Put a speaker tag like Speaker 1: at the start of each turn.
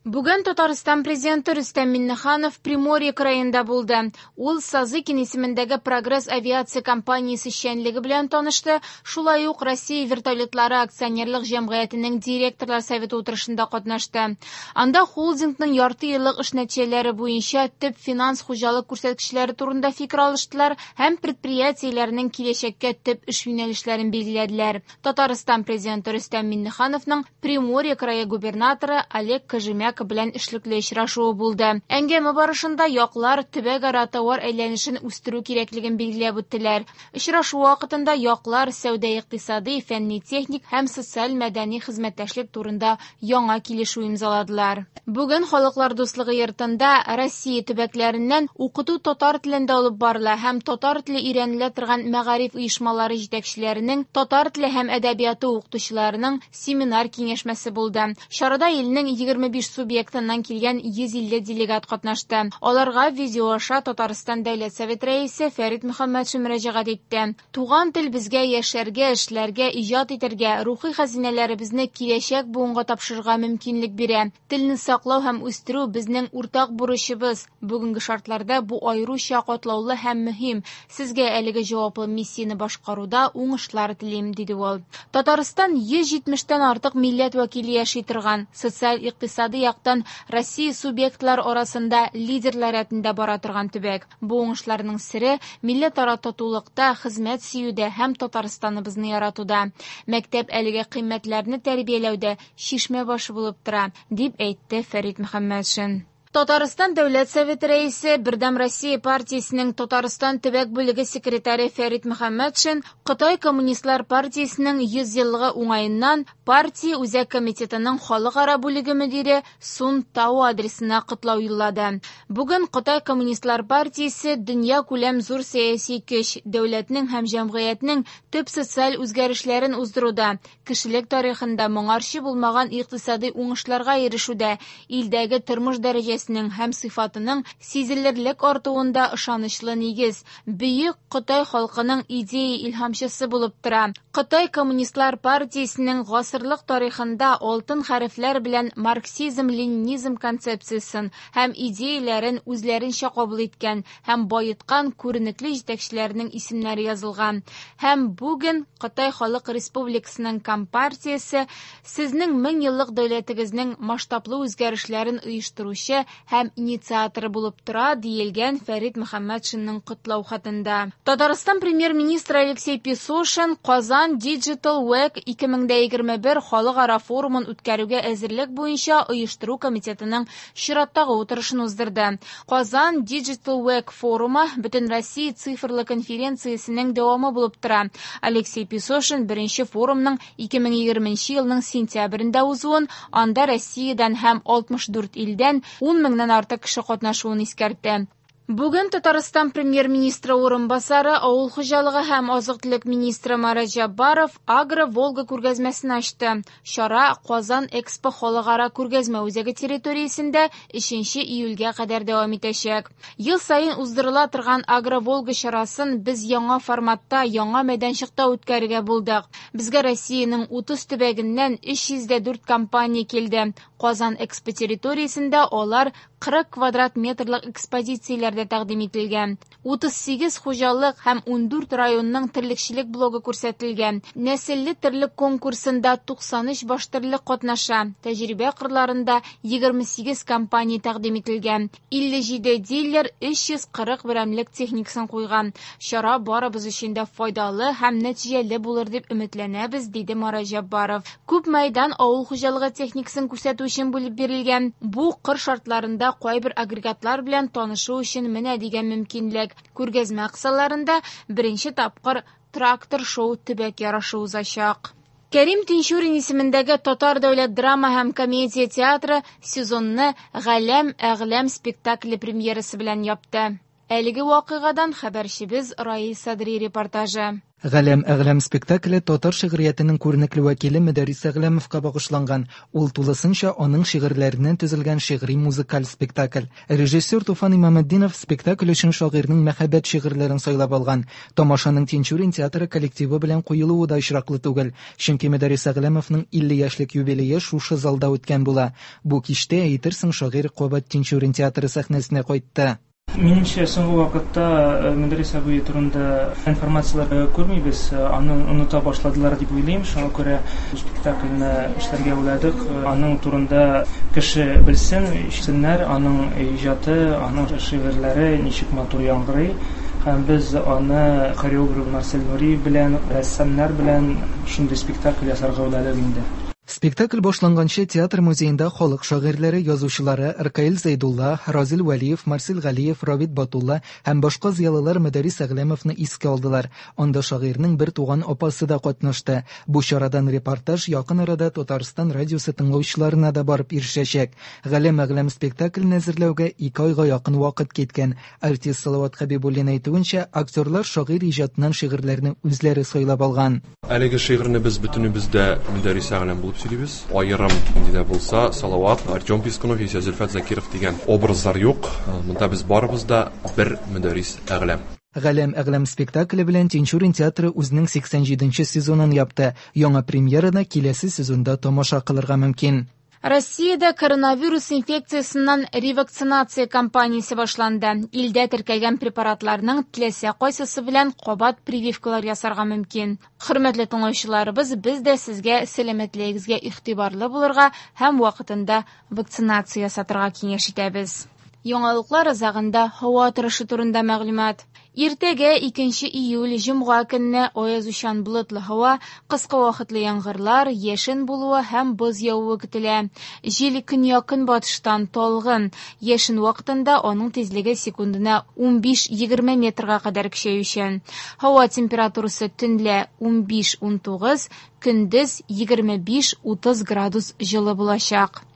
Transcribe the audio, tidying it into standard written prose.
Speaker 1: Бүген Татарстан Президенты Рөстәм Миңнеханов Приморье краенда булды. Ул Сазыкин исемендәге Прогресс авиация компаниясе эшчәнлеге белән танышты, шулай ук Россия вертолетлары акционерлык җәмгыятенең директорлар советы утырышында катнашты. Анда холдингның ярты еллык эш нәтиҗәләре буенча төп финанс-хуҗалык күрсәткечләре турында фикер алыштылар һәм предприятиеләрнең киләчәккә төп эш юнәлешләрен билгеләделәр. Татарстан Президенты Рөстәм Миңнехановның Приморье крае губернаторы Олег Кожемяко белән эшлекле очрашуы булды. Әңгәмә барышында яклар төбәкара товар әйләнешен үстерү кирәклеген билгеләп үттеләр. Очрашу вакытында яклар сәүдә-икътисади, фәнни-техник һәм социаль-мәдәни хезмәттәшлек турында яңа килешү имзаладылар. Бүген Халыклар дуслыгы йортында Россия төбәкләреннән укыту татар телендә алып барыла һәм татар теле өйрәнелә торган мәгариф оешмалары җитәкчеләренең татар теле һәм әдәбияты укытучыларының семинар киңәшмәсе булды. Чарада илнең 25 субъектыннан килгән 150 делегат катнашты. Аларга видео аша Татарстан Дәүләт Советы Рәисе Фәрит Мөхәммәтшин мөрәҗәгать итте. Туган тел безгә яшәргә, эшләргә, иҗат итәргә, рухи хәзинәләребезне киләчәк буынга тапшырырга мөмкинлек бирә. Телне саклау һәм үстерү безнең уртак бурычыбыз. Бүгенге шартларда бу аеруча катлаулы һәм мөһим. Сезгә әлеге җаваплы миссияне башкаруда уңышлар телим, диде ул. Татарстан 170 тән артык милләт вәкиле яши торган, социаль-икътисади яктан Россия субъектлары арасында лидерлар рәтендә бара торган төбәк. Бу уңышларның сере милләтара татулыкта, хезмәт сөюдә һәм Татарстаныбызны яратуда. Мәктәп әлеге кыйммәтләрне тәрбияләүдә чишмә башы булып тора, дип әйтте Фәрит Мөхәммәтшин. Татарстан Дәүләт Советы Рәисе, Бердәм Россия партиясенең Татарстан төбәк бүлеге секретаре Фәрит Мөхәммәтшин Кытай Коммунистлар партиясенең 100 еллыгы уңаеннан партия Үзәк комитетының халыкара бүлеге мөдире Сун Тао адресына котлау юллады. Бүген Кытай Коммунистлар партиясе дөнья күләм зур сәяси көч, дәүләтнең һәм җәмгыятьнең төп социаль үзгәрешләрен уздыруда, кешелек тарихында моңарчы булмаган икътисадый уңышларга ирешүдә, илдәге тормыш дәрәҗәсенең һәм сыйфатының сизелерлек артуында ышанычлы нигез, бөек Кытай халкының идея илһамчысы булып тора. Кытай Коммунистлар партиясенең гасырлык тарихында алтын хәрефләр белән марксизм-ленинизм концепциясен һәм идеяләрен үзләренчә кабул иткән һәм баеткан күренекле җитәкчеләренең исемнәре язылган. Һәм бүген Кытай Халык Республикасының Компартиясе сезнең мең еллык дәүләтегезнең масштаблы үзгәрешләрен оештыручы һәм инициаторы булып тора, диелгән Фәрит Мөхәммәтшинның котлау хатында. Татарстан премьер-министры Алексей Песошин Казан Digital Week 2021 халыкара форумын үткәрүгә әзерлек буенча оештыру комитетының чираттагы утырышын уздырды. Казан Digital Week форумы Бөтенроссия цифрлы конференциясенең дәвамы булып тора. Алексей Песошин беренче форумның 2020 елның сентябрендә узуын, анда Россиядән һәм 64 илдән 10 меңнән артык кеше катнашуын искәртте. Бүген Татарстан премьер-министры урынбасары, авыл хуҗалыгы һәм азык-төлек министры Марат Җәббаров Агро Волга күргәзмәсен ачты. Чара Казан Экспо халыкара күргәзмә үзәге территориясендә 3 июльгә кадәр дәвам итәчәк. Ел саен уздырыла торган Агро Волга чарасын без яңа форматта, яңа мәйданчыкта үткәрергә булдык. Безгә Россиянең 30 төбәгеннән 304 компания килде. Казан Экспо территориясендә алар 40 квадрат метрлык экспозицияләрдә тәкъдим ителгән. 38 хуҗалык һәм 14 районның терлекчелек блогы күрсәтелгән. Нәселле терлек конкурсында 93 баш терлек катнаша. Тәҗрибә кырларында 28 компания тәкъдим ителгән. 57 дилер 340 берәмлек техникасын куйган. Чара барыбыз өчен дә файдалы һәм нәтиҗәле булыр дип өметләнәбез, диде Марат Җәббаров. Күп мәйдан авыл хуҗалыгы техникасын күрсәтү өчен бүлеп бирелгән. Бу кыр шартларында кайбер агрегатлар белән танышу өчен менә дигән мөмкинлек. Күргәзмә кысаларында беренче тапкыр трактор шоу төбәк ярышы узачак. Кәрим Тинчурин исемендәге Татар дәүләт драма һәм комедия театры сезонны Галәм әгъләм спектакле премьерасы белән япты. Әлеге вакыйгадан хәбәрчебез Раил Садри репортажы.
Speaker 2: Галәм Әгъләм спектакле татар шигъриятенең күренекле вәкиле Мөдәррис Әгъләмовка багышланган. Ул тулысынча аның шигырьләреннән төзелгән шигъри музыкаль спектакль. Режиссер Туфан Имаметдинов спектакль өчен шагыйрьнең мәхәббәт шигырьләрен сайлап алган. Тамашаның Тинчурин театры коллективы белән куелуы да очраклы түгел. Чөнки Мөдәррис Әгъләмовның 50 яшьлек юбилее шушы залда үткән була. Бу кичтә әйтерсең шагыйрь кабат Тинчурин театры сәхнәсенә кайтты.
Speaker 3: Минемчә, соңгы вакытта Мөдәррис абый турында информацияләр күрмибез, аны оныта башладылар дип уйлыйм. Шуңа күрә бу спектакльне эшләргә уйладык. Аның турында кеше белсен, ишетсеннәр, аның иҗаты, аның шигырьләре ничек матур яңгырый. Һәм без аны хореограф Марсель Нуриев белән, рәссамнар белән шундый спектакль ясарга уйладык инде.
Speaker 2: Спектакль башланганчы театр музеенда халык шагыйрьләре, язучылары Ркаил Зәйдулла, Разил Вәлиев, Марсель Галиев, Равит Батулла һәм башка зыялылар Мөдәррис Әгъләмовны искә алдылар. Анда шагыйрьнең бер туган апасы да катнашты. Бу чарадан репортаж якын арада Татарстан радиосы тыңлаучыларына да барып ирешәчәк. Галәм Әгъләм спектаклен әзерләүгә 2 айга якын вакыт киткән. Артист Салават Хәбибуллин әйтүенчә, актерлар шагыйрь иҗатыннан шигырьләрне үзләре сайлап алган.
Speaker 4: Әлеге шигырьне без бөтенебез дә Мөдәррис Әгъләм булып сөйлибез. Аерым нинди дә булса Салават, Артем Пискунов яисә Зөлфәт Закиров дигән образлар юк. Монда без барыбыз да бер Мөдәррис Әгъләм.
Speaker 2: Галәм Әгъләм спектакле белән Тинчурин театры үзенең 87нче сезонын япты. Яңа премьераны киләсе сезонда тамаша кылырга мөмкин.
Speaker 1: Россиядә коронавирус инфекциясеннән ревакцинация кампаниясе башланды. Илдә теркәлгән препаратларның теләсә кайсысы белән кабат прививкалар ясарга мөмкин. Хөрмәтле тыңлаучыларыбыз, без дә сезгә сәламәтлегегезгә игътибарлы булырга һәм вакытында вакцинация ясатырга киңәш итәбез. Яңалыклар азагында һава торышы турында мәгълүмат. Иртәгә 2 июль җомга көнне аязучан болытлы һава, кыска вакытлы яңгырлар, яшен булуы һәм боз явуы көтелә. Җил көньяк-көнбатыштан талгын. Яшен вакытында аның тизлеге секундына 15-20 метрга кадәр көчәючән. Һава температурасы төнлә 15-19, көндез 25-30 градус җылы булачак.